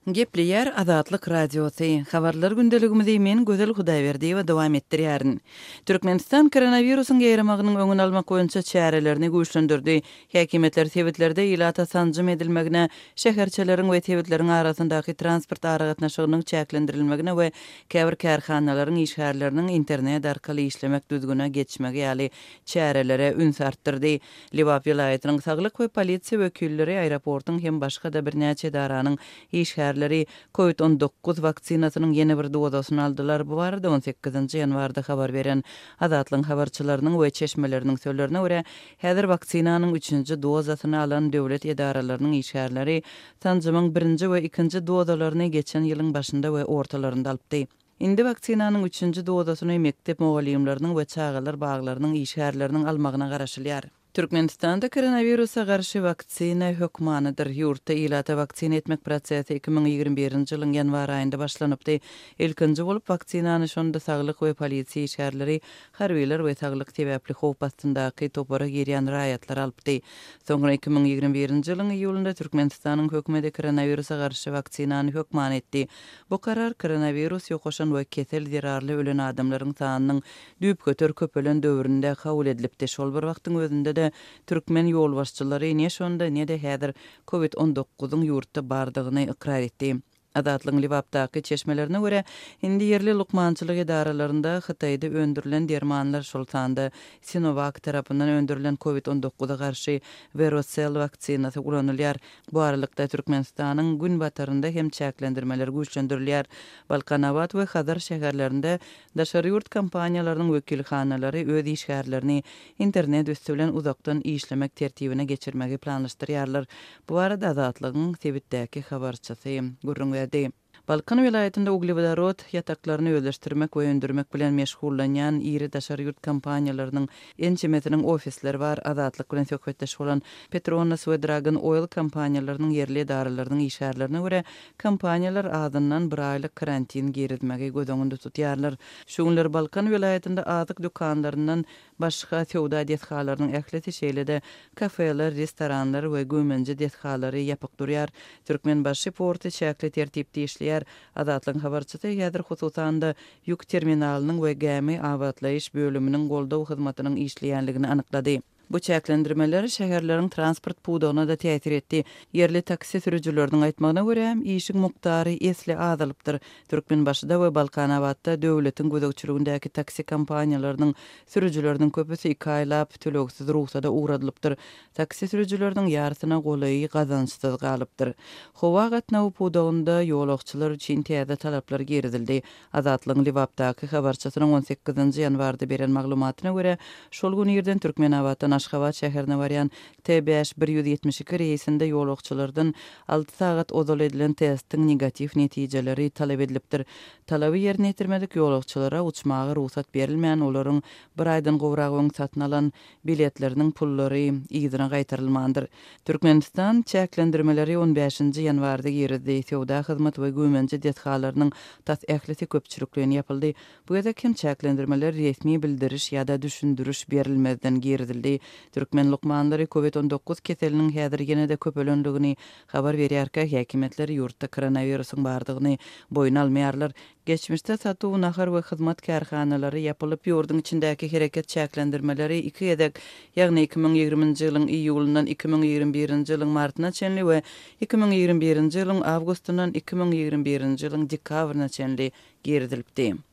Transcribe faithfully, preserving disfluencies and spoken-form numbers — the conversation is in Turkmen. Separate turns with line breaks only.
Gepleýär Azatlyk Radiosy. Habarlar gündeligimizi men Gözel Hudaýberdiýewa dowam etdirýärin. Türkmenistan koronawirusyň ýaýramagynyň öňüni almak boýunça çärelerini güýçlendirdi. Häkimiýetler sebitlerde ilata sanjym edilmegine, şäherçeleriň we sebitleriň arasyndaky transport aragatnaşygynyň çäklendirilmegine we käbir kärhanalaryň işgärleriniň internet arkaly işlemek düzgüne geçmegi ýaly çärelere üns artdyrdy. Lebap welaýatynyň saglyk we polisiýa wekilleri aeroportuň hem başga-da birnäçe edaranyň işgärleri Covid on dokuz waksinasynyň ýene bir dozasyny aldylar. Bu barada on sekizinji ýanwarda habar beren Azatlygyň habarçylarynyň we çeşmeleriniň sözlerine görä, häzir waksinanyň üçünji dozasyny alan döwlet edaralarynyň işgärleri sanjymyň birinji we ikinji dozalaryny geçen ýylyň başynda we ortalarynda alypdy. Indi waksinanyň üçünji dozasyny mekdep mugallymlarynyň we çagalar baglarynyň işgärleriniň almagyna garaşylýar. Türkmenistanda koronawirusa garşy waksina hökmanydyr. Ýurtda ilata waksina etmek prosesi iki müň ýigrimi birinji ýylyň ýanwar aýynda başlanypdy. Ilkinji bolup waksinany şonda saglyk we polisiýa işgärleri, harbylar we saglyk sebäpli howp astyndaky topara girýän raýatlar alypdy. Soňra iki müň ýigrimi birinji ýylyň iýulynda Türkmenistanyň hökümeti koronawirusa garşy waksinany hökman etdi. Bu karar koronawirus ýokaşan we kesel zerarly ölen adamlaryň sanynyň düýpgöter köpelen döwründe kabul edilipdi. Şol bir wagtyň özünde-de türkmen ýolbaşçylary ne şonda, ne-de häzir Covid on dokuzyň ýurtda bardygyny ykrar etdi. Azatlygyň Lebapdaky çeşmelerine görä, indi ýerli lukmançylyk edaralarynda Hytaýda öndürilen dermanlar, şol sanda Sinovac tarapyndan öndürilen Covid on dokuza garşy Verocell waksinasy ulanylýar. Bu aralykda Türkmenistanyň günbatarynda hem çäklendirmeler güýçlendirilýär. Balkanabat we Hazar şäherlerinde daşary ýurt kompaniýalarynyň wekilhanalary öz işgärlerini internet üsti bilen uzakdan işlemek tertibine geçirmegi planlaşdyrýarlar. Bu barada Azatlygyň sebitdäki habarçysy gürrüň berdi. Balkan welaýatynda uglewodorod ýataklaryny özleşdirmek we öndürmek bilen meşgullanýan iri daşary ýurt kompaniýalarynyň ençemesiniň ofisleri bar. Azatlyk bilen söhbetdeş bolan Petronas we Dragon Oil kompaniýalarynyň ýerli edaralarynyň işgärlerine görä, kompaniýalar azyndan bir aýlyk karantin girizmegi göz öňünde tutýarlar. Şu günler Balkan welaýatynda azyk dükanlaryndan başga söwda desgalarynyň ählisi, şeýle-de kafeler, restoranlar we güýmenje desgalary ýapyk durýar. Türkmenbaşy porty çäkli tertipde işleýär. Azatlygyň habarçysy häzir hususan-da ýük terminalynyň we gämi abatlaýyş bölüminiň goldaw hyzmatynyň işleýänligini anyklady. Bu çäklendirmeler şäherleriň transport pudagyna da täsir etdi. Ýerli taksi sürüjileriniň aýtmagyna görä, işiň mukdary esli azalypdyr. Türkmenbaşyda we Balkanabatda döwletiň gözegçiligindäki taksi kompaniýalarynyň sürüjileriniň köpüsi iki aýlap tölegsiz rugsada ugradylypdyr. Taksi sürüjileriniň ýarysyna golaýy gazançsyz galypdyr. Howa gatnawy pudagynda ýolagçylar üçin täze talaplar girizildi. Azatlygyň Lebapdaky habarçysynyň on sekizinji ýanwarda beren maglumatyna görä, şol gün irden Türkmenabatdan Aşgabat şäherine barýan T bäş bir ýüz ýetmiş iki reýsinde ýolagçylardan alty sagat ozal edilen testiň negatiw netijeleri talap edilipdir. Talaby ýerine ýetirmedik ýolagçylara uçmaga rugsat berilmän, olaryň bir aýdan gowrak öň satyn alan biletleriniň pullary yzyna gaýtarylmandyr. Türkmenistan çäklendirmeleri on bäşinji ýanwarda girizdi. Söwda hyzmat we güýmenje desgalarynyň tas ählisi köpçülikleýin ýapyldy. Bu gezek hem çäklendirmeler resmi bildiriş ýa-da düşündiriş berilmezden girizildi. Türkmen lukmanlary Covid on dokuz keseliniň häzir ýene-de köpelenligini habar berýärkä, häkimiýetler ýurtda koronawirusyň bardygyny boýun almaýarlar. Geçmişde satuw, nahar we hyzmat kärhanalary ýapylyp, ýurduň içindäki hereket çäklendirmeleri iki gezek, ýagny iki müň ýigriminji ýylyň iýulyndan iki müň ýigrimi birinji ýylyň martyna çenli we iki müň ýigrimi birinji ýylyň awgustyndan iki müň ýigrimi birinji ýylyň dekabryna çenli girizilipdi.